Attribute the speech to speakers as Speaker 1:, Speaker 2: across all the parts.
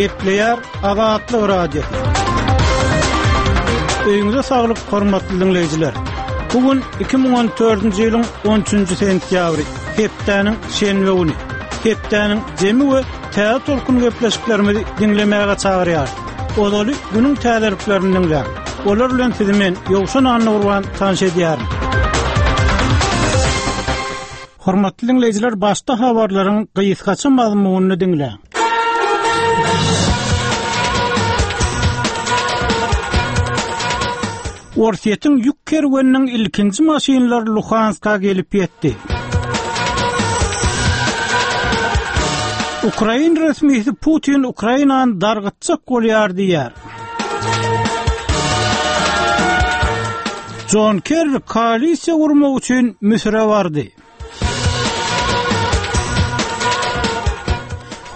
Speaker 1: Gepleýär Azatlyk Radiosy. Öýüňize saglyk, hormatly diňleýjiler. Bu gün 2014-nji ýylyň 13-nji sentýabry, hepdäniň şenbe güni. Hepdäniň jemi we täze tolkun gepleşiklerimizi diňlemäge çagyrýarys. Ozaly günüň täzeliklerini diňläň. Olar bilen sizi men, Ýowşan Annagurban, tanyş edýärin. Hormatly diňleýjiler, başda habarlaryň gysgaça mazmunyny diňläň. Orsýetiň ýük kerweniniň ilkinji maşynlary Luhanska gelip ýetdi. Ukrain resmisi Putin Ukrainany dargytjak bolýar diýýär. Jon Kerri koalisiýa gurmak üçin Müsüre bardy.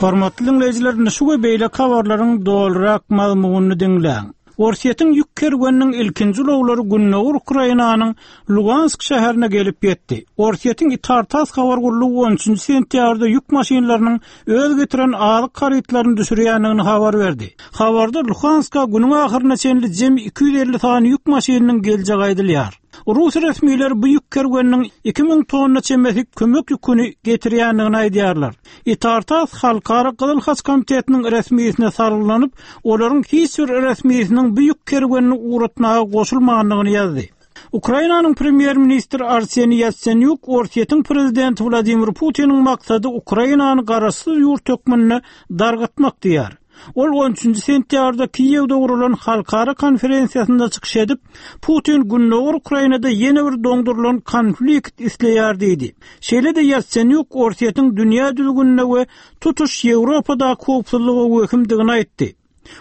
Speaker 1: Hormatly diňleýjiler, indi şu we beýleki habarlaryň dolurak mazmunyny diňläň. Orsýetiň ýük kerweniniň ilkinji ulaglary gündogar Ukrainanyň Lugansk şäherine gelip ýetdi. Orsýetiň Itar-tass habar gullugy on üçünji sentýabrda ýük maşynlarynyň öz getiren azyk harytlaryny düşürýändigini habar berdi. Habarda Luhanska günüň ahyryna çenli jemi 250 sany ýük maşynynyň geljegi aýdylýar. Rus resmileri bu ýük kerweniniň 2000 tonna çemesi kömek ýüküni getirýändigini aýdýarlar. Itar-tass Halkara Gyzyl Haç Komitetiniň resmisine salgylanyp, olaryň hiç bir resmisiniň bu ýük kerwenini ugratmaga goşulmandygyny ýazdy. Ukrainanyň premýer-ministri Arseniý Ýatsenýuk Orsýetiň prezidenti Wladimir Putiniň maksady Ukrainany garaşsyz ýurt hökmünde dargatmak diýýär. Ol on üçünji sentýabrda Kiýewde guralan halkara konferensiýasynda çykyş edip, Putin gündogar Ukrainada ýene bir doňdurylan konflikt isleýär diýdi. Şeýle-de Ýatsenýuk Orsýetiň dünýä düzgünine we tutuş Ýewropadaky howpsuzlyga wehimdigini aýtdy.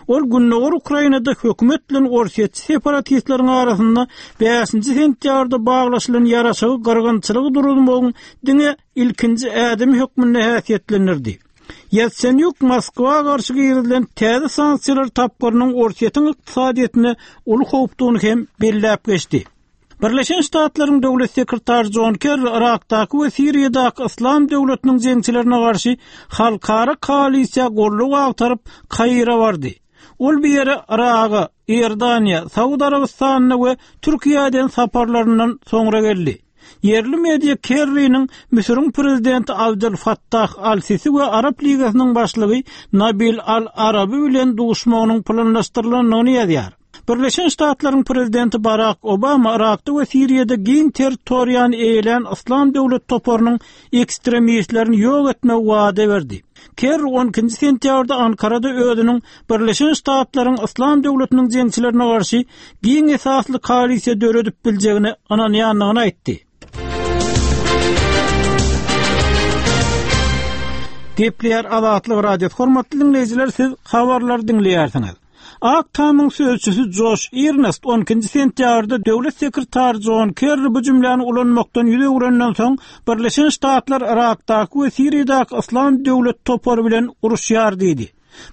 Speaker 1: Ol gündogar Ukrainada hökümet bilen orsýetçi separatistleriň arasynda bäşinji sentýabrda baglaşylan ýaraşygy gyrgynçylygy duruzmagyň diňe ilkinji ädimi hökmünde häsiýetlendirdi. Ýatsenýuk Moskwa garşy girizilen täze sanksiýalar tapgyrynyň Orsýetiň ykdysadyýetine uly howpdugyny hem belläp geçdi. Birleşen Ştatlaryň Döwlet sekretary Jon Kerri Yrakdaky we Siriýadaky Yslam döwletiniň jeňçilerine garşy halkara koalisiýa goldaw agtaryp, Kaire bardy. Ol bu ýere Yraga, Iordaniýa, Saud Arabystanyna we Türkiýä eden saparlaryndan soňra geldi. Ýerli media Kerriniň Müsüriň prezidenti Abdel Fattah al-Sisi we Arap Ligasynyň başlygy Nabil al-Arabi bilen duşmagynyň planlaşdyrylandygyny ýazýar. Birleşen Ştatlaryň prezidenti Barak Obama Yrakda we Siriýada giň territoriýany eýelän Yslam döwlet toparynyň ekstremistlerini ýok etmegi wada berdi. Kerri on ikinji sentýabrda Ankarada özüniň Birleşen Ştatlaryň Yslam döwletiniň jeňçilerine garşy giň esasly koalisiýa döredip biljegine ynanýandygyny aýtdy. Gepleýär Azatlyk Radiosy. Hormatly diňleýjiler, siz habarlary diňleýärsiňiz. Ak Tamyň sözçüsi Joş Irnest on ikinji sentýabrda döwlet sekretary Jon Kerri bu jümläni ulanmakdan ýüz öwrenden soň, Birleşen Ştatlar Yrakdaky we Siriýadaky Yslam döwlet topary bilen uruşýar diýdi.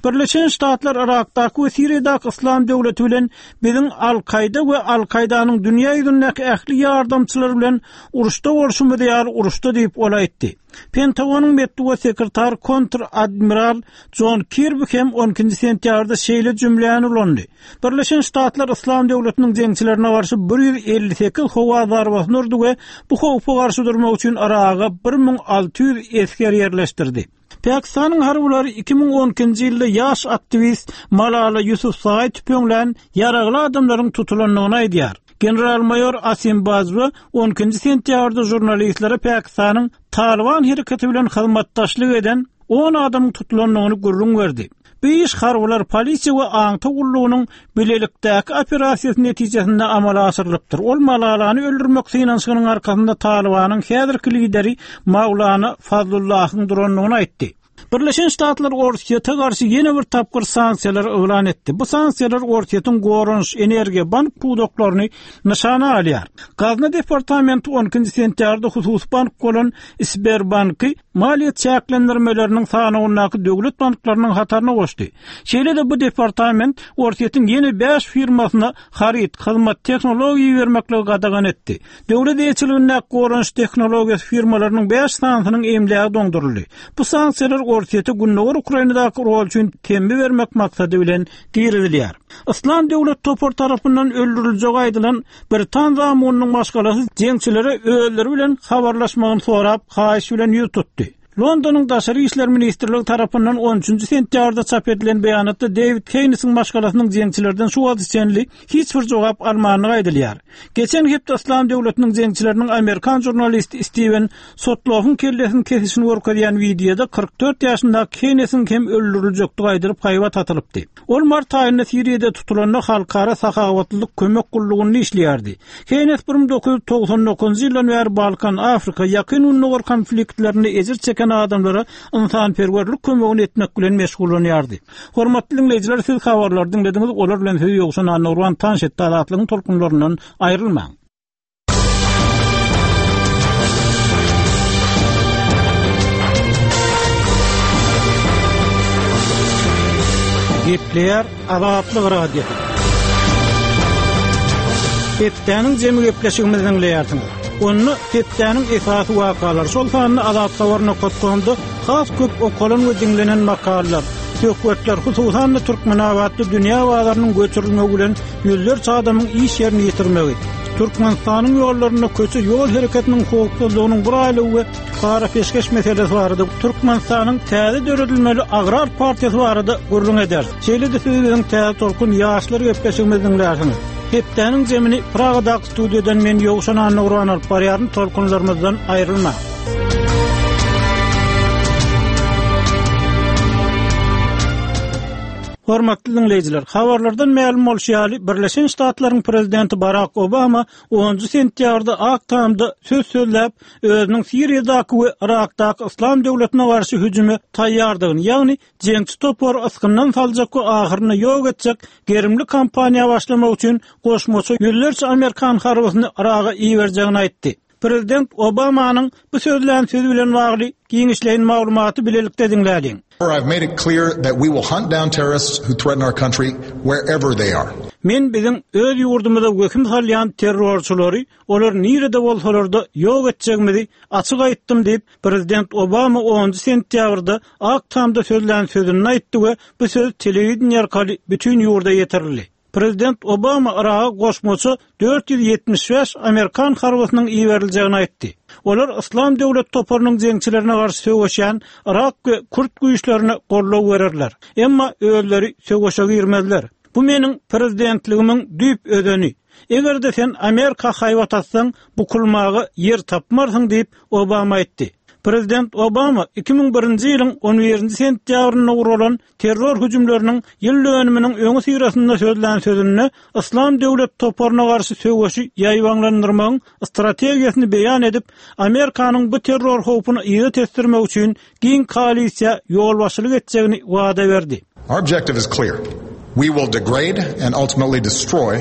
Speaker 1: Birleşen Ştatlar Yrakdaky we Siriýadaky Yslam döwleti bilen biziň Al-Kaýda we Al-Kaýdanyň dünýä ýüzündäki ähli ýardamçylary bilen uruşda bolşumyz ýaly uruşda diýip, ol aýtdy. Pentagonyň metbugat sekretary kontr-admiral Jon Kirbi hem on ikinji sentýabrda şeýle jümläni ulandy, Birleşen Ştatlar Yslam döwletiniň jeňçilerine garşy 158 howa zarbasyny urdy we bu howpa garşy durmak üçin Yraga 1600 esger ýerleşdirdi. Pakistanyň harbylary 2012-nji ýylda ýaş aktiwist Malala Ýusufzaý tüpeňlän ýaragly adamlaryň tutulandygyny aýdýar. General-maýor Asim Bajwa on ikinji sentýabrda žurnalistlere Pakistanyň Talyban hereketi bilen hyzmatdaşlyk eden on adamyň tutulandygyny gürrüň berdi. Bu iş harbylar, polisiýa we aňtaw gullugynyň bilelikdäki operasiýasy netijesinde amala aşyrylypdyr. Ol Malalany öldürmek synanyşygynyň arkasynda Talybanyň häzirki lideri Maulana Fazlullahyň durandygyny aýtdy. Birleşen Ştatlar Orsýete garşy ýene bir tapgyr sanksiýalary yglan etdi. Bu sanksiýalar Orsýetiň goranyş, energiýa, bank pudaklaryny nyşana alýar. Gazna departamenti on ikinji sentýabrda hususy bank bolan Sberbanky maliýe çäklendirmeleriniň sanawyndaky döwlet banklarynyň hataryna goşdy. Şeýle-de bu departament Orsýetiň ýene bäş firmasyna haryt, hyzmat, tehnologiýa ibermekligi gadagan etdi. Döwlet eýeçiligindäki goranyş tehnologiýasy firmalarynyň bäş sanysynyň emlägi doňduryldy. Bu sanksiýalar. Orsýete Gündogar Ukrainadaky rol üçin temmi bermek maksady bilen girizilýär. Yslam döwlet topary tarapyndan öldüriljegi aýdylan britan zamunynyň maşgalasy jeňçilere özleri bilen habarlaşmagyny sorap, haýyş bilen ýüz tutdy. Londonyň Daşary işler ministrligi tarapyndan on üçünji sentýabrda çap edilen beýanatda Dewid Heýnesiň maşgalasynyň jeňçilerden şu wagta çenli hiç bir jogap almandygy aýdylýar. Geçen hepde Yslam döwletiniň jeňçileriniň amerikan žurnalisti Stiwen Sotloffyň kellesini kesişini görkezýän wideoda 44 ýaşyndaky Heýnesiň hem öldüriljekdigi aýdylyp haýbat atylypdy. Ol mart aýynda Siriýada tutulanda Halkara sahawatlylyk kömek gullugynda işleýärdi. Heýnes 1999-njy ýyldan bäri Balkan, Afrika, Ýakyn Gündogar konfliktlerinde ejir çeken adamlara ynsanperwerlik kömegini etmek bilen meşgullanýardy. Hormatly diňleýjiler, siz habarlary diňlediňiz, olar bilen sizi Ýowşan Annagurban tanyş etdi. Azatlygyň tolkunlaryndan aýrylmaň. Gepleýär Azatlyk Radiosy. Hepdäniň jemi gepleşigimizi diňleýärsiňiz. Onda hepdäniň esasy wakalary, şol sanda azathabar.com-da has köp okalan we diňlenen makalalar, söhbetler, hususan-da Türkmenabatda dünýä bazarynyň göçürilmegi bilen ýüzlerçe adamyň iş ýerini ýitirmegi, Türkmenistanyň ýollarynda köçe ýol hereketiniň howpsuzlygynyň bir aýlygy we para-peşgeş meselesi barada Türkmenistanyň täze döredilmeli Agrar partiýasy barada gürrüň ederis. Şeýle-de siz biziň Täze tolkun ýaşlar gepleşigimizi diňlärsiňiz. Hepdäniň jemini Pragadaky studiýadan men Ýowşan Annagurban alyp barýaryn, tolkunlarymyzdan aýrylmaň. Hormatly diňleýjiler, habarlardan mälim bolşy ýaly, Birleşen Ştatlaryň Prezidenti Barak Obama onunjy sentýabrda Ak Tamda söz sözläp, özüniň Siriýadaky we Yrakdaky Yslam döwletine garşy hüjüme taýýardygyny, ýagny jeňçi topary ysgyndan saljak we ahyrynda ýok etjek gerimli kampaniýa başlamak üçin goşmaça ýüzlerçe amerikan harbysyny Yraga iberjegini aýtdy. Prezident Obamanyň bu sözlän sözi bilen bagly giňişleýin maglumaty bilelikde diňläliň.
Speaker 2: I've made it clear that we will hunt down terrorists who threaten our country wherever they are.
Speaker 1: Men biziň öz ýurdumyza wehim salýan terrorçylary, olar nirede bolsalar-da ýok etjegimizi açyk aýtdym diýip, prezident Obama onunjy sentýabrda Ak Tamda sözlän sözünde aýtdy we bu söz telewideniýe arkaly bütin ýurda ýetirildi. Prezident Obama Yraga goşmaça 475 amerikan harbysynyň iberiljegini aýtdy. Olar Yslam döwlet toparynyň jeňçilerine garşy söweşýän yrak we kürt güýçlerine goldaw bererler. Emma özleri söweşe girmezler. Bu meniň prezidentligimiň düýp özeni. Eger-de sen Amerika haýbat atsaň, bukulmaga ýer tapmarsyň diýip, Obama aýtdy. Prezident Obama 2001-nji ýylyň on birinji sentýabrynda guralan terror hüjümleriniň ýyl dönüminiň öňüsyrasynda sözlän sözünde Yslam döwlet toparyna garşy söweşi ýaýbaňlandyrmagyň strategiýasyny beýan edip, Amerikanyň bu terror howpuny yza tesdirmek üçin giň koalisiýa ýolbaşçylyk etjegini wada berdi.
Speaker 2: Our objective is clear. We will degrade and ultimately destroy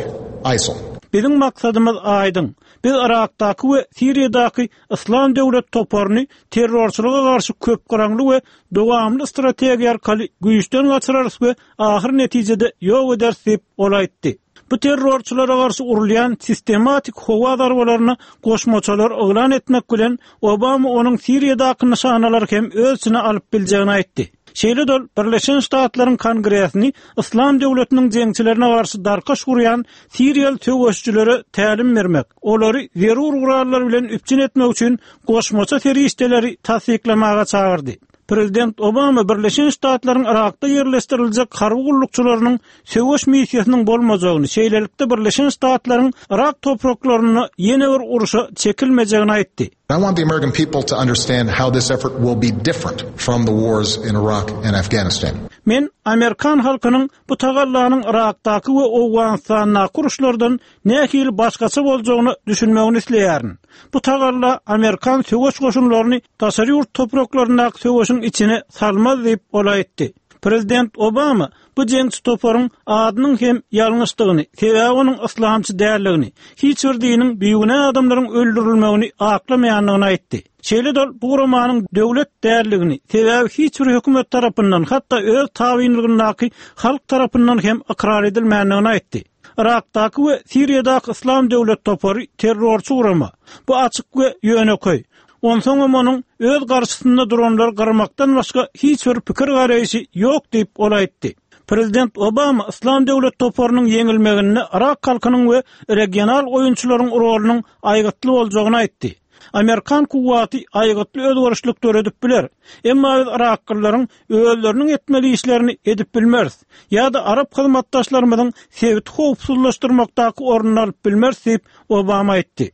Speaker 2: ISIL.
Speaker 1: Biziň maksadymyz aýdyň. Biz Yrakdaky we Siriýadaky Yslam döwlet toparyny terrorçylyga garşy köpgyraňly we dowamly strategiýa arkaly güýçden gaçyrarys we ahyr netijede ýok ederis diýip, ol aýtdy. Bu terrorçylara garşy urulýan sistematik howa zarbalaryna goşmaçalar yglan etmek bilen, Obama onuň Siriýadaky nyşanalary hem öz içine alyp biljegini aýtdy. Şeýle-de ol Birleşen Ştatlaryň Kongresini Yslam döwletiniň jeňçilerine garşy darkaş gurýan siriýaly söweşijilere tälim bermek, olary zerur gurallar bilen üpjün etmek üçin goşmaça serişdeleri tassyklamaga çagyrdy. Prezident Obama Birleşen Ştatlaryň Yrakda ýerleşdiriljek harby gullukçylarynyň söweş missiýasynyň bolmajagyny, şeýlelikde Birleşen Ştatlaryň Yrak topraklarynda ýene bir urşa çekilmejegini aýtdy.
Speaker 2: I want the American people to understand how this effort will be different from the wars in Iraq and Afghanistan.
Speaker 1: Men amerikan halkynyň bu tagallanyň Yrakdaky we Owganystandaky uruşlardan nähili başgaça boljagyna düşünmegini isleýärin. Bu tagalla amerikan söweş goşunlaryny daşary ýurt topraklaryndaky söweşiň içine salmaz diýip, ol aýtdy. Prezident Obama bu jeňçi toparyň adynyň hem ýalňyşdygyny, sebäbi onuň yslamçy däldigini, hiç bir diniň bigünä adamlaryň öldürilmegini aklamaýandygyny aýtdy. Şeýle-de ol bu guramanyň döwlet däldigini, sebäbi hiç bir hökümet tarapyndan, hatda öz tabynlygyndaky halk tarapyndan hem ykrar edilmändigini aýtdy. Yrakdaky we Siriýadaky Yslam döwlet topary terrorçy gurama. Bu açyk we ýönekeý. Onsoňam onuň öz garşysynda duranlary gyrmakdan başga hiç bir pikir-garaýşy ýok diýip, ol aýtdy. Prezident Obama Yslam döwlet toparynyň ýeňilmeginde yrak halkynyň we regional oýunçylaryň rolunyň aýgytly boljagyny aýtdy. Amerikan kuwwaty aýgytly özgerişlik döredip biler. Emma biz yraklylaryň özleriniň etmeli işlerini edip bilmeris ýa-da arap hyzmatdaşlarymyzyň sebiti howpsuzlaşdyrmakdaky ornuny alyp bilmeris diýip, Obama aýtdy.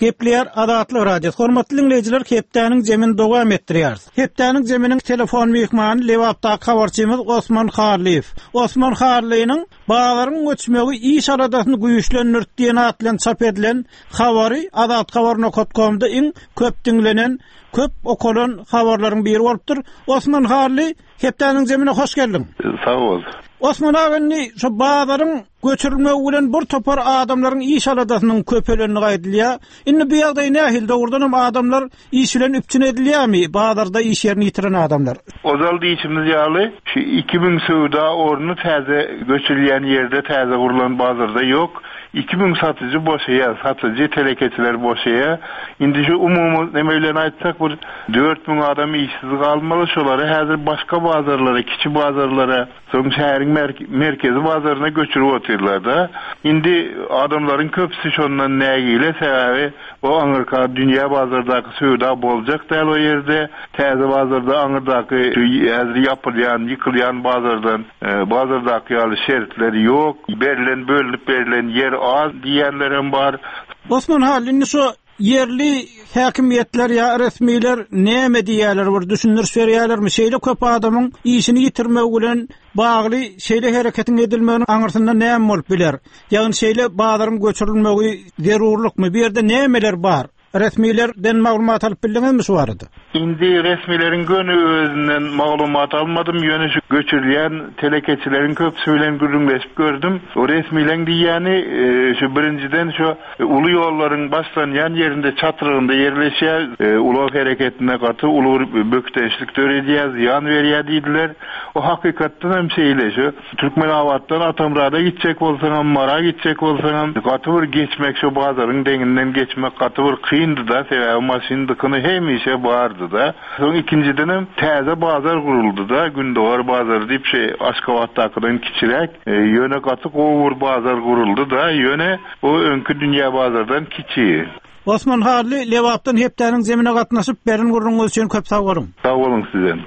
Speaker 1: Gepleýär Azatlyk Radiosy. Hormatly diňleýjiler, hepdäniň jemini dowam etdirýäris. Hepdäniň jeminiň telefon myhmany Lebapdaky habarçymyz Osman Hallyýew. Osman Hallynyň Bazaryň göçmegi iş aladasyny güýçlendirdi diýen at bilen çap edilen habary Azathabar nokat komda iň köp diňlenen, köp okalan habarlaryň biri bolupdyr. Osman Hally, hepdäniň jemine hoş geldiň.
Speaker 3: Sag bol.
Speaker 1: Osman aga indi şu bazaryň göçürilmegi bilen bir topar adamlaryň iş aladasynyň köpelendigi aýdylýar. Indi bu ýagdaý nähili? Dogrudanam adamlar iş bilen üpjün edilýärmi, bazarda iş ýerini ýitiren adamlar?
Speaker 3: Ozal diýşimiz ýaly, şu 2000 söwda orny täze göçürilýän ýerde, täze gurlan bazarda ýok. 2000 satyjy boşaýar, satyjy, telekeçiler boşaýar. Indi şu umumy neme bilen aýtsak, bir 4000 adam işsiz galmaly, şolary häzir başga bazarlara, kiçi bazarlara, Soň şäheriň merkezi bazaryna göçürip otyrlar-da. Indi adamlaryň köpüsi şondan nägile, sebäbi o aňyrka dünýä bazardaky söwda boljak däl o ýerde. Täze bazarda aňyrdaky häzir ýapylýan, ýykylýan bazardan bazardaky ýaly şertler ýok. Berlen, bölünip berlen ýer az diýýänlerem bar.
Speaker 1: Osman Hally, indi şu Ýerli häkimiýetler ýa resmiler näme diýýärler, bir düşündiriş berýärlermi? Şeýle köp adamyň işini ýitirmegi bilen bagly şeýle hereketiň edilmeginiň aňyrsynda näme bolup biler? Ýagny şeýle bazaryň göçürilmegi zerurlykmy? Bu ýerde nämeler bar? Resmilerden maglumat alyp bildiňizmi şu barada?
Speaker 3: Indi resmileriň göni özünden maglumat almadym, ýöne şu göçürilýän telekeçileriň köpüsi bilen gürrüňleşip gördüm. O resmileň diýýäni şu birinjiden şu uly ýollaryň başlanýan ýerinde çatrygynda ýerleşýär, ulag hereketine gaty uly bir bökdençlik döredýär, zyýan berýär diýdiler. O hakykatdan hem şeýle şu Türkmenabatdan Atamyrada gitjek bolsaňam, Mara gitjek bolsaňam, gaty bir geçmek şo bazaryň deňinden geçmek gaty bir kyndy-da, sebäbi maşyn dykyny hemişe bardy-da. Soň ikinjidenem täze bazar guruldy-da, Gündogar bazary diýip şe Aşgabatdakydan kiçiräk, ýöne gaty gowy bir bazar guruldy-da, ýöne o öňki dünýä bazardan kiçi.
Speaker 1: Osman Hally, Lebapdan hepdäniň zemine gatnaşyp, beren gürrüňiňiz üçin köp sag boluň!
Speaker 3: Sag boluň sizem.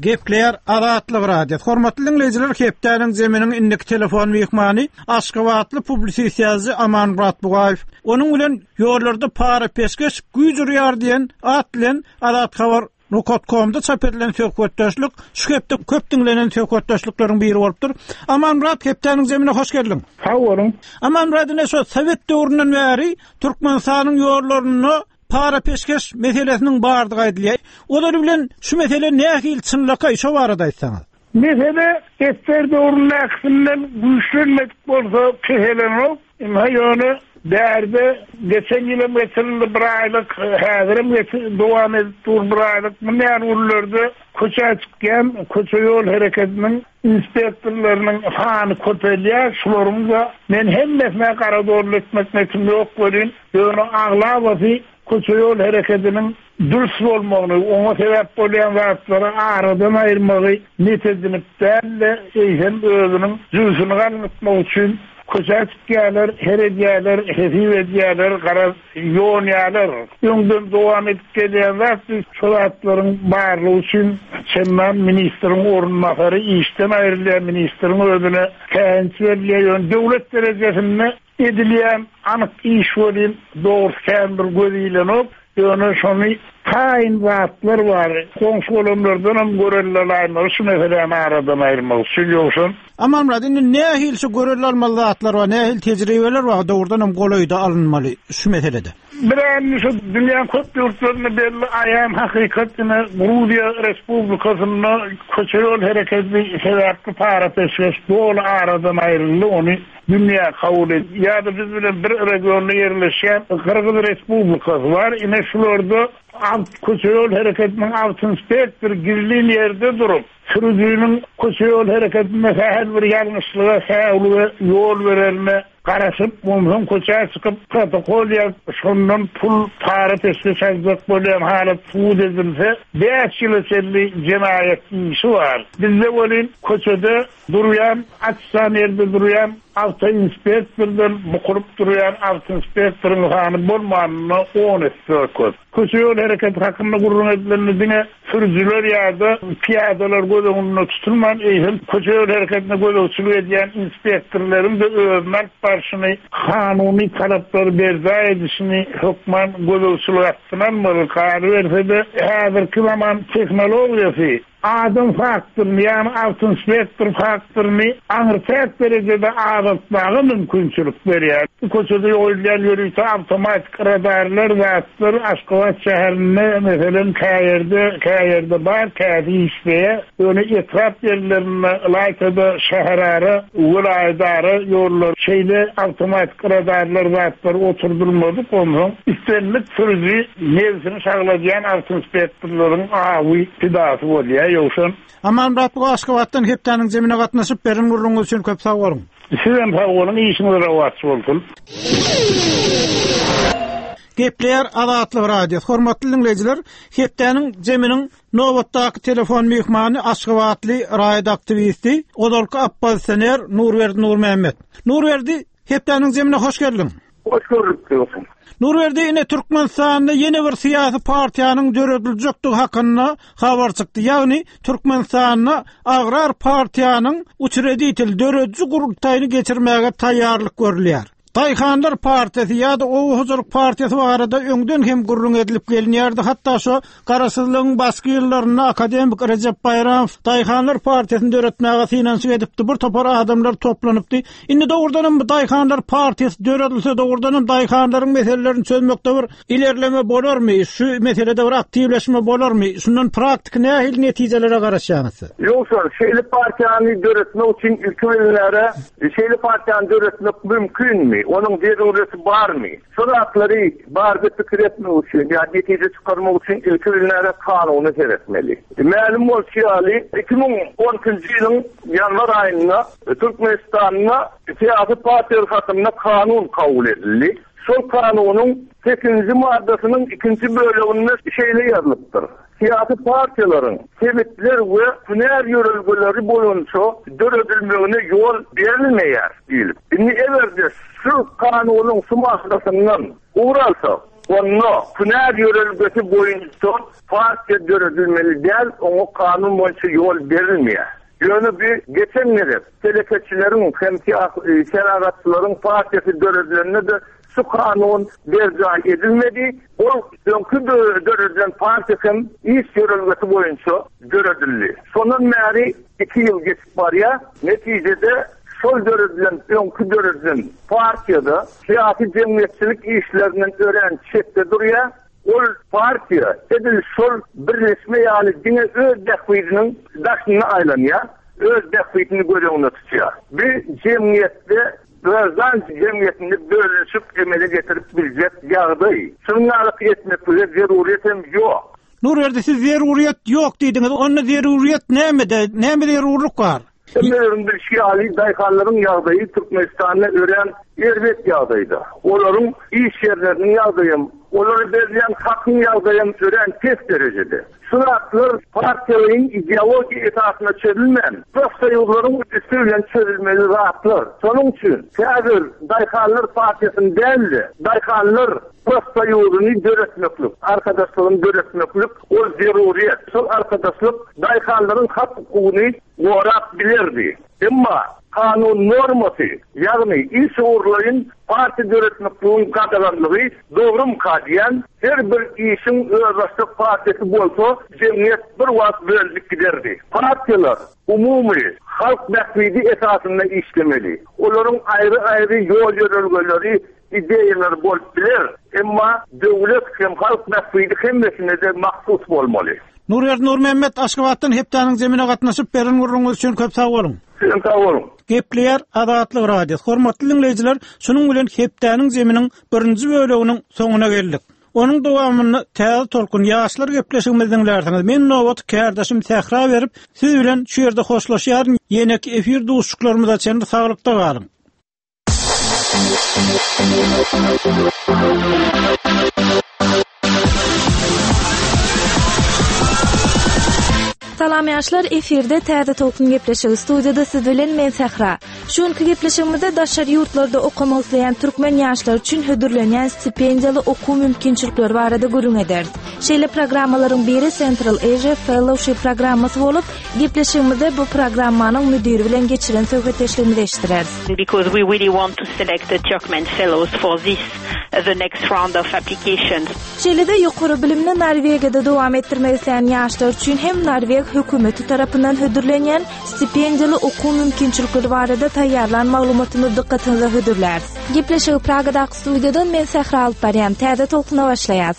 Speaker 1: Gepleýär Azatlyk Radiosy. Hormatly diňleýjiler, hepdäniň zeminiň indiki telefon myhmany aşgabatly publisist ýazyjy Amanmyrat Bugaýew. Onuň bilen Ýollarda para-peşgeş güýç urýar diýen at bilen Azat Habar Nokat komda çap edilen söhbetdeşlik şu hepde köp diňlenen söhbetdeşlikleriň biri bolupdyr. Amanmyrat hepdäniň zemine hoş geldiň.
Speaker 4: Sag boluň.
Speaker 1: Amanmyrat ine şu sowet döwründen bäri Türkmenistanyň ýollarynda para-peşgeş meselesiniň bardygy aýdylýar. Ozaly bilen şu mesele nähili çynlakaý şo barada aýtsaňyz.
Speaker 4: Mesele ssr döwründäkisinden güýçlenmedik bolsa peselenok. Ynha ýöne bärde geçen ýylam geçirildi bir aýlyk, häzirem dowam edip dur bir aýlyk. Mundan günlerde köçä çykýan köçe-ýol hereketiniň inspektorlarynyň sany köpelýär. Şularyň-da men hemmesine gara dolly etmek netim ýok welin, ýöne aglabasy köçe-ýol hereketiniň dürs bolmagyny, oňa sebäp bolýan zatlary aradan aýyrmagy net edinip däl-de, eýsem özüniň jübüsini galňytmak üçin köçä çykýarlar, her edýärler, hesip edýärler, garaz, ýonýarlar. Öňden dowam edip gelýän zat bu. Şo zatlaryň barlygy üçin çendan ministriň orunbasary işden aýrylýar, ministriň özüne käýinç berilýär. Ýöne döwlet derejesinde Edilýän anyk iş welin dogrusy kän bir göz ilenok, ýöne şony taýyn zatlar bar, goňşy-golamlardanam görelde alaýmaly şu meseläni aradan aýyrmak üçin, ýogsam.
Speaker 1: Amanmyrat, indi nähili şu görelde almaly zatlar bar, nähili tejribeler bar dogrudanam golaýda alynmaly şu meselede?
Speaker 4: Bir indi şu dünýäň köp ýurtlarynda belli aýan hakykat ine Gruziýa Respublikasynda köçe-ýol hereketi sebäpli para-peşgeş doly aradan aýryldy, ony dünýä kabul et ýa-da biz bilen bir regionda ýerleşýän Gyrgyz Respublikasy bar, ine şularda awt köçe-ýol hereketiniň awtoinspektory gizlin ýerde durup, sürüjiniň köçe-ýol hereketinde sähel bir ýalňyşlyga, säwlige ýol bererine. garaşyp, onsoň köçä çykyp protokol ýazyp, şondan pul, para-peşgeş aljak bolýan halat subut edilse, bäş ýyla çenli jenaýat işi bar. Bizde welin köçede durýan, açjan ýerde durýan awtoinspektordan bukulyp durýan awtoinspektoryň sany bolmanynda on esse köp. Köçe-ýol hereketi hakynda gürrüň edilende diňe sürüjiler ýa-da pyýadalar göz öňünde tutulman, eýsem, köçe-ýol hereketine gözegçilik edýän inspektorlaryň-da özüni alyp barşyny, kanuny talaplary berjaý edişini hökman gözegçilik astyna almaly. Galyberse-de, häzirki zaman tehnologiýasy Adam faktoryny, ýagny awtoinspektor faktoryny aňryçäk derejede azaltmaga mümkinçilik berýär. Köçede goýulýan ýörite awtomatik radarlar, zatlar Aşgabat şäherinde, meselem, käýerde, käýerde bar, käsi işleýär. Ýöne etrap ýerlerinde, ylaýta-da şäherara, welaýatara ýollar şeýle awtomatik radarlar, zatlar oturdylmadyk. Onsoň islendik sürüji nebsini şagladýan awtoinspektorlaryň awy pidasy bolýar, Ýowşan.
Speaker 1: Amanmyrat bu Aşgabatdan hepdäniň jemine gatnaşyp beren gürrüňiňiz üçin köp sag boluň.
Speaker 4: Sizem sag boluň, işiňiz rowaç bolsun.
Speaker 1: Gepleýär Azatlyk Radiosy. Hormatly diňleýjiler, hepdäniň jeminiň nobatdaky telefon myhmany aşgabatly raýat aktiwisti, ozalky oppozisioner Nurberdi Nurmämmet. Nurberdi, Hepdäniň jemine hoş geldiň.
Speaker 5: Hoş gördük dostum.
Speaker 1: Nurberdi ine Türkmenistanda ýene bir syýasy partiýanyň dörediljekdigi hakynda habar çykdy. Ýagny Türkmenistanda Agrar partiýanyň uçreditel dörediji gurultaýyny geçirmäge taýýarlyk görülýär. Daýhanlar partiýasy ýa-da oba hojalyk partiýasy barada öňden hem gürrüň edilip gelinýärdi. Hatda şo Garaşsyzlygyň başky ýyllarynda akademik Rejep Baýramow Daýhanlar partiýasyny döretmäge synanyşyk edipdi, bir topar adamlar toplanypdy. Indi dogrudanam bu Daýhanlar partiýasy döredilse, dogrudanam daýhanlaryň meselelerini çözmekde bir ilerleme bolarmy, şu meselede bir aktiwleşme bolarmy, şundan praktiki nähili netijelere garaşýaňyz siz?
Speaker 5: Ýogsa, şeýle partiýany döretmek üçin ilki bilen şeýle partiýany döretmek mümkinmi, onuň zerureti barmy? Şu zatlary barada pikir etmek üçin ýa netije çykarmak üçin ilki bilen kanuna seretmeli. Mälim bolşy ýaly, 2012-nji ýylyň ýanwar aýynda Türkmenistanda syýasy partiýalar hakynda kanun kabul edildi. Şol kanunyň sekizinji maddasynyň ikinji böleginde şeýle ýazylypdyr, Syýasy partiýalaryň sebitler we hünär ýörelgeleri boýunça döredilmegine ýol berilmeýär diýlip. Indi eger-de şu kanunyň şu maddasyndan ugur alsak, onda hünär ýörelgesi boýunça partiýa döredilmeli däl, oňa kanun boýunça ýol berilmeýär. Ýöne bu geçen gezek telekeçileriň hem senagatçylaryň partiýasy döredilende-de şu kanun berjaý edilmedi. Ol öňki döredilen partiýa hem iş ýörelgesi boýunça döredildi. Şondan bäri iki ýyl geçip barýar. Netijede şol döredilen öňki döredilen partiýa-da syýasy-jemgyýetçilik işlerinden örän çetde durýar. Ol partiýa edil şol birleşme ýaly diňe öz bähbidiniň daşynda aýlanýar, öz bähbidini göz öňünde tutýar. Bu jemgyýetde graždan jemgyýetinde bölünişik emele getirip biljek ýagdaý. Şunuň ýaly etmeklige zeruryýet hem ýok.
Speaker 1: Nurberdi siz zeruryýet ýok diýdiňiz, onda zeruryýet nämede, näme zerurlyk bar?
Speaker 5: Hemmeleriň bilşi ýaly, daýhanlaryň ýagdaýy Türkmenistanda örän erbet ýagdaýda. Olaryň iş ýerleriniň ýagdaýam, olara berilýän hakyň ýagdaýam örän pes derejede. Şu zatlar partiýalaýyn ideologiýa esasynda çözülmän, profsoýuzlaryň üsti bilen çözülmeli zatlar. Şonuň üçin häzir daýhanlar partiýasyny däl-de, daýhanlar profsoýuzyny döretmeklik, arkadaşlygyny döretmeklik ol zeruryýet. Şol arkadaşlyk daýhanlaryň hak-hukugyny gorap bilerdi. Emma kanun normasy, ýagny iş ugurlaýyn partiýa döretmekligiň gadaganlygy dogrumyka diýýän, her bir işiň özbaşdak partiýasy bolsa jemgyýet bir wagt bölünip giderdi. Partiýalar umumy halk bähbidi esasynda işlemeli. Olaryň aýry-aýry ýol-ýörelgeleri, ideýalary bolup biler, emma döwlet hem halk bähbidi hemmesine-de mahsus bolmaly.
Speaker 1: Nurberdi Nurmämmet Aşgabatdan hepdäniň jemine gatnaşyp beren gürrüňiňiz üçin köp sag boluň.
Speaker 5: Sizem sag boluň.
Speaker 1: Gepleýär Azatlyk Radiosy. Hormatly diňleýjiler, şunuň bilen hepdäniň jeminiň birinji böleginiň soňuna geldik. Onuň dowamynda Täze tolkun ýaşlar gepleşigimizi diňlärsiňiz. Men nobaty kärdeşim Sähra berip, siz bilen şu ýerde hoşlaşýaryn. Ýeneki efir duşuşyklarymyza çenli saglykda galyň.
Speaker 6: Salam ýaşlar, efirde Täze Tolkun gepleşigi studiýada siz bilen men Sähra. Şu günki gepleşigimizde daşary ýurtlarda okamak isleýän türkmen ýaşlary üçin hödürlenýän stipendiýaly okuw mümkinçilikleri barada gürrüň ederis. Şeýle programmalaryň biri Central Asia Fellowship programmasy bolup, gepleşigimizde bu programmanyň müdiri bilen geçiren söhbetdeşligimizi eşitdireris.
Speaker 7: Because we really want to select the Turkmen fellows for this the next round of applications.
Speaker 6: Şeýle-de ýokary bilimini Norwegiýada dowam etdirmek isleýän ýaşlar üçin hem norweg hökümeti tarapyndan hödürlenýän stipendiýaly okuw mümkinçilikleri barada taýýarlan maglumatymyzy dykgatyňyza hödürläris. Gepleşigi Pragadaky studiýadan men Sähra alyp barýan. Täze tolkuna başlaýas.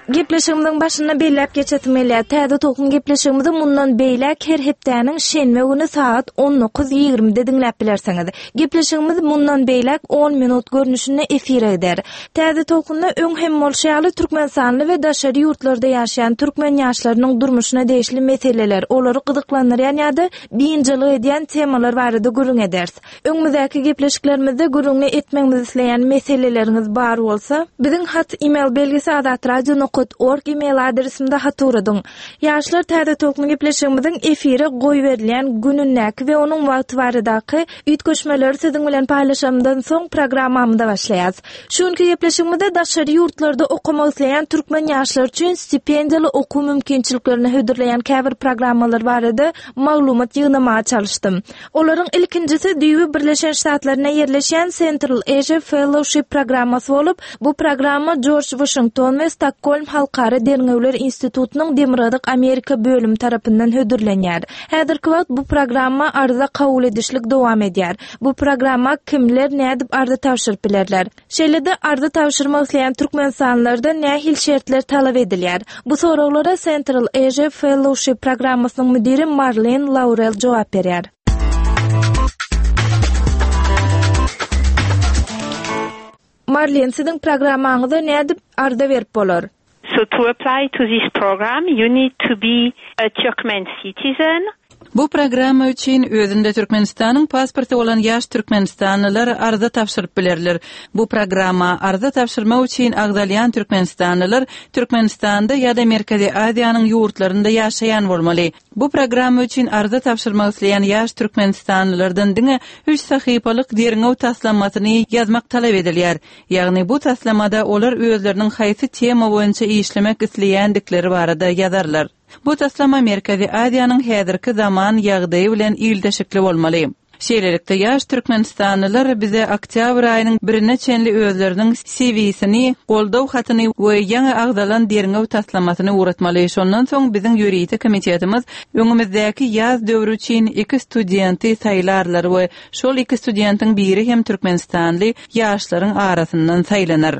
Speaker 6: Gepleşigimiziň başynda belläp geçesim gelýär. Täze tolkun gepleşigimizi mundan beýläk her hepdäniň şenbe güni sagat 19:20-de diňläp bilersiňiz. Gepleşigimiz mundan beýläk on minut görnüşinde efire gider. Täze tolkunda öň hem bolşy ýaly türkmenistanly we daşary ýurtlarda ýaşaýan türkmen ýaşlarynyň durmuşyna degişli meseleler, olary gyzyklandyrýan ýa-da biynjalyk edýän temalar barada gürrüň ederis. Öňümizdäki gepleşiklerimizde gürrüňini etmegimizi isleýän meseleleriňiz bar bolsa, biziň hat email belgisi azatradio nokat org email adresimize hat ugradyň. Ýaşlar Täze Tolkun gepleşigimiziň efire goýberilýän günündäki we onuň wagty baradaky üýtgeşmeleri siziň bilen paýlaşanymdan soň programmamyza başlaýarys. Şu günki gepleşigimizde daşary ýurtlarda okamak isleýän türkmen ýaşlary üçin stipendiýaly okuw mümkinçiliklerini hödürleýän käbir programmalar barada maglumat ýygnamaga çalyşdym. Olaryň ilkinjisi düýbi Birleşen Ştatlarynda ýerleşýän Central Asia Fellowship programmasy bolup, bu programma Jorj Waşington we Stokgolm Halkara derňewler institutynyň Demirgazyk Amerika bölümi tarapyndan hödürlenýär. Häzirki wagt bu programma arza kabul edişlik dowam edýär. Bu programma kimler nädip arza tabşyryp bilerler? Şeýle-de arza tabşyrmak isleýän türkmenistanlylardan nähili şertler talap edilýär? Bu soraglara Central Asia Fellowship programmasynyň müdiri Marlen Laurel jogap berýär. Marlen, siziň programmaňyza nädip arza berip bolar?
Speaker 7: So to apply to this program you need to be a Turkmen citizen.
Speaker 8: Bu programma üçin özünde Türkmenistanyň pasporty bolan ýaş türkmenistanlylar arza tabşyryp bilerler. Bu programma arza tabşyrmak üçin agzalýan türkmenistanlylar Türkmenistanda ýa-da Merkezi Aziýanyň ýurtlarynda ýaşaýan bolmaly. Bu programma üçin arza tabşyrmak isleýän ýaş türkmenistanlylardan diňe üç sahypalyk derňew taslamasyny ýazmak talap edilýär. Ýagny bu taslamada olar özleriniň haýsy tema boýunça işlemek isleýändikleri barada ýazarlar. Bu taslama Merkezi Aziýanyň häzirki zaman ýagdaýy bilen ilteşikli bolmaly. Şeýlelikde, ýaş türkmenistanlylar bize oktýabr aýynyň birine çenli özleriniň CV-sini, goldaw hatyny we ýaňy agzalan derňew taslamasyny ugratmaly. Şondan soň biziň ýörite komitetimiz öňümizdäki ýaz döwri üçin iki studenti saýlarlar we şol iki studentiň biri hem türkmenistanly ýaşlaryň arasyndan saýlanar.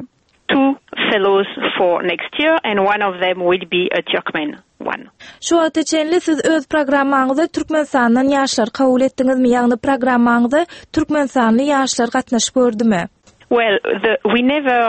Speaker 7: Two fellows for next year and one of them will be a Turkmen one.
Speaker 6: Şu wagta çenli siz öz programmaňyza Türkmenistandan ýaşlary kabul etdiňizmi, ýagny programmaňyza türkmenistanly ýaşlar gatnaşyp gördümi?
Speaker 7: Well, the, we never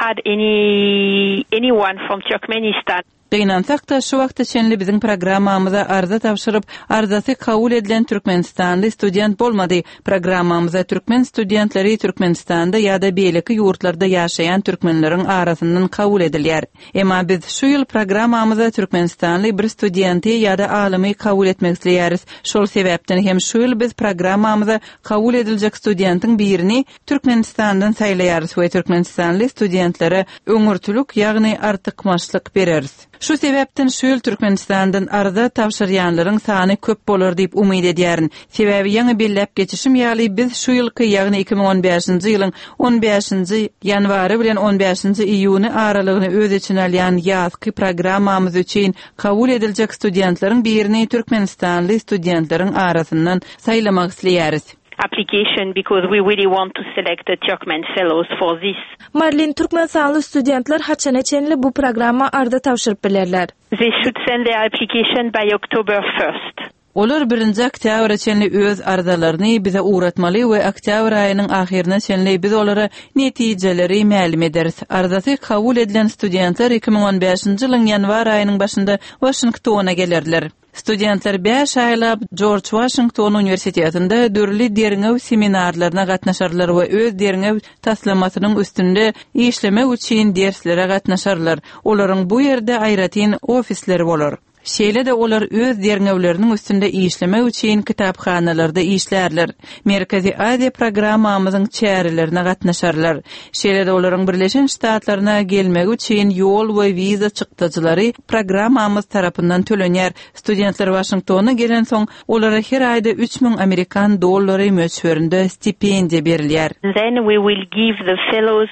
Speaker 7: had any, anyone from Turkmenistan.
Speaker 8: Gynansak-da, şu wagta çenli biziň programmamyza arza tabşyryp, arzasy kabul edilen türkmenistanly student bolmady. Programmamyza türkmen studentleri Türkmenistanda ýa-da beýleki ýurtlarda ýaşaýan türkmenleriň arasyndan kabul edilýär. Emma biz şu ýyl programmamyza türkmenistanly bir studenti ýa-da alymy kabul etmek isleýäris. Şol sebäpden hem şu ýyl biz programmamyza kabul ediljek studentiň birini Türkmenistandan saýlaýarys we türkmenistanly studentlere öňürtilik, ýagny artykmaçlyk bereris. Şu sebäpden şu ýyl Türkmenistandan arza tabşyrýanlaryň sany köp bolar diýip umyt edýärin. Sebäbi ýaňy belläp geçişim ýaly biz şu ýylky, ýagny 2015-nji ýylyň on bäşinji ýanwary bilen on bäşinji iýuny aralygyny öz içine alýan ýazky programmamyz üçin kabul ediljek studentleriň birini türkmenistanly studentleriň arasyndan saýlamak isleýäris.
Speaker 7: application because we really want to select the Turkmen fellows for this.
Speaker 6: Marlin, Türkmenistanly studentler haçana çenli bu programma arza tabşyryp bilerler?
Speaker 7: They should send their application by October first.
Speaker 8: Olar birinji oktýabra çenli öz arzalaryny bize ugratmaly we oktýabr aýynyň ahyryna çenli biz olara netijeleri mälim ederis. Arzasy kabul edilen studentler 2015-nji ýylyň ýanwar aýynyň başynda Waşingtona gelerler. Studentler bäş aýlap Jorj Waşington uniwersitetinde dürli derňew seminarlaryna gatnaşarlar we öz derňew taslamasynyň üstünde işlemek üçin derslere gatnaşarlar. Olaryň bu ýerde aýratyn ofisleri bolar. Şeýle-de olar öz derňewleriniň üstünde işlemek üçin kitaphanalarda işlärler, Merkezi Aziýa programmamyzyň çärelerine gatnaşarlar. Şeýle-de olaryň Birleşen Ştatlaryna gelmegi üçin ýol we wiza çykdajylary programmamyz tarapyndan tölenýär. Studentler Waşingtona gelensoň, olara her aýda 3000 amerikan dollary möçberinde stipendiýa berilýär.
Speaker 7: Then we will give the fellows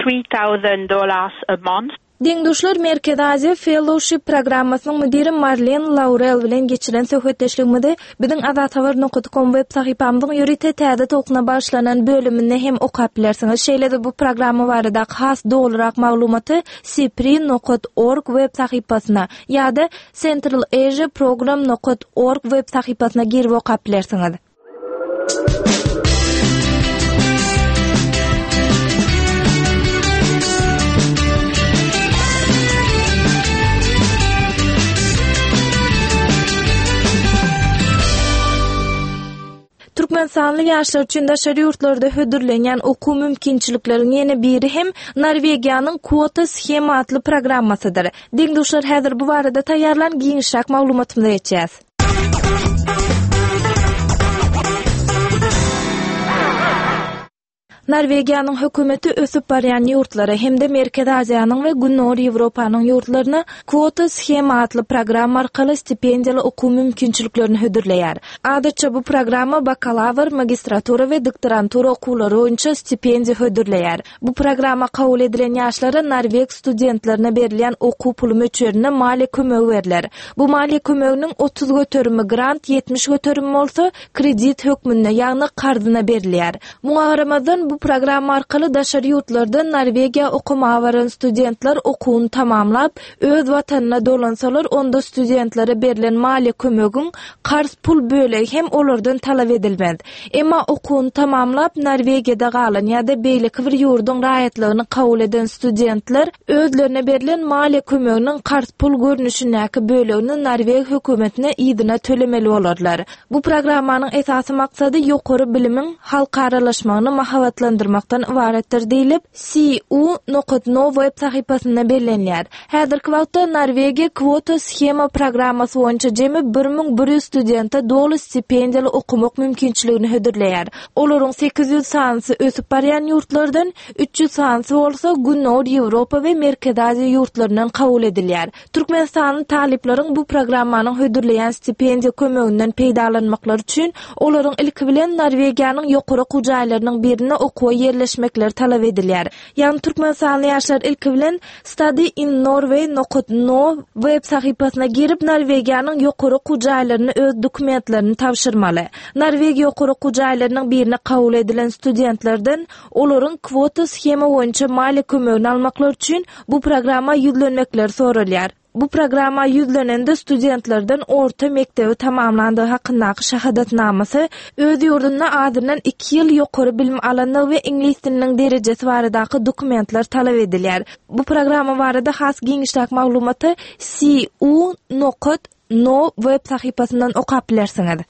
Speaker 7: 3000 dollars a month.
Speaker 6: Deň-duşlar Merkezi Aziýa Fellowship programmasynyň müdiri Marlen Laurel bilen geçiren söhbetdeşligimizi biziň Azathabar nokat kom web sahypamyzyň ýörite Täze tolkuna bagyşlanan bölüminde hem okap bilersiňiz. Şeýle-de bu programma baradaky has dolurak maglumaty sipri nokat org web sahypasyna ýa-da Central Asia Program nokat org web sahypasyna girip okap bilersiňiz. Türkmenistanly ýaşlar üçin daşary ýurtlarda hödürlenýän okuw mümkinçilikleriň ýene biri hem Norwegiýanyň Kwota shema atly programmasydyr. Deň-duşlar häzir bu barada taýýarlan giňişräk maglumatymyza geçýäs. Norwegiýanyň hökümeti ösüp barýan ýurtlara hem-de Merkezi Aziýanyň we Gündogar Ýewropanyň ýurtlaryna Kwota shema atly programma arkaly stipendiýaly okuw mümkinçiliklerini hödürleýär. Adatça bu programma bakalawr, magistratura we doktorantura okuwlary boýunça stipendiýa hödürleýär. Bu programma kabul edilen ýaşlara norweg studentlerine berilýän okuw puly möçberinde maliýe kömegi berler. Bu maliýe kömeginiň 30 göterimi grant, 70 göterimi bolsa kredit hökmünde, ýagny karzyna berilýär. Muňa garamazdan, bu programma arkaly daşary ýurtlardan Norwegiýa okamaga baran studentler okuwyny tamamlap, öz watanyna dolansalar, onda studentlere berlen maliýe kömegiň karz pul bölegi hem olardan talap edilmez. Emma okuwyny tamamlap, Norwegiýada galan ýa-da beýleki bir ýurduň raýatlygyny kabul eden studentler özlerine berlen maliýe kömeginiň karz pul görnüşindäki bölegini norweg hökümetine yzyna tölemeli bolarlar. Bu programmanyň esasy maksady ýokary bilimiň halkaralaşmagyny mahabatlandyrmakdan ybaratdyr diýlip, CU nokat no web sahypasynda bellenýär. Häzirki wagtda Norwegiýa kwota shema programmasy boýunça jemi 1100 studente doly stipendiýaly okamak mümkinçiligini hödürleýär. Olaryň 800 sanysy ösüp barýan ýurtlardan, 300 sanysy bolsa Gündogar Ýewropa we Merkezi Aziýa ýurtlaryndan kabul edilýär. Türkmenistanly talyplaryň bu programmanyň hödürleýän stipendiýa kömeginden peýdalanmaklary üçin, olaryň ilki bilen Norwegiýanyň ýokary okuw jaýlarynyň birinde okuwa ýerleşmekleri talap edilýär. Ýagny türkmenistanly ýaşlar ilki bilen Study in Norway nokat no web sahypasyna girip, Norwegiýanyň ýokary okuw jaýlaryna öz dokumentlerini tabşyrmaly. Norwegiýa ýokary okuw jaýlarynyň birine kabul edilen studentlerden olaryň kwota shema boýunça maliýe kömegini almaklary üçin bu programma ýüzlenmekleri soralýar. Bu programma ýüzlenende studentlerden orta mekdebi tamamlandygy hakyndaky şahadatnamasy, öz ýurdunda azyndan iki ýyl ýokary bilim alandygy we iňlis diliniň derejesi baradaky dokumentler talap edilýär. Bu programma barada has giňişräk maglumaty cu nokat no web sahypasyndan okap bilersiňiz.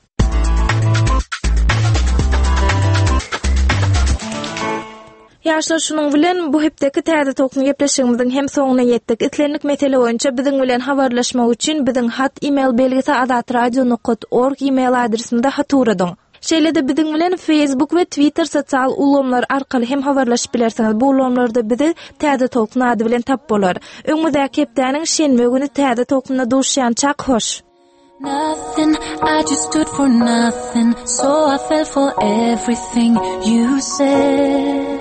Speaker 6: Ýaşlar şunuň bilen bu hepdeki Täze Tolkun gepleşigimiziň hem soňuna ýetdik. Islendik mesele boýunça biziň bilen habarlaşmak üçin biziň hat e-mail belgisi azatradio.org e-mail adresimize hat ugradyň. Şeýle-de biziň bilen Facebook we Twitter sosial ulgamlary arkaly hem habarlaşyp bilersiňiz. Bu ulgamlarda bizi Täze Tolkun ady bilen tapyp bolar. Öňümizdäki hepdäniň şenbe güni Täze Tolkunda duşýançak hoş! Nothing, I just stood for nothing So I fell for everything you said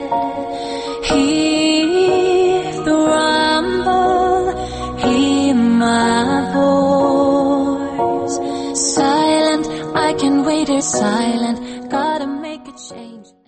Speaker 6: Hear the rumble, hear my voice Silent, I can wait here silent Gotta make it.
Speaker 9: change.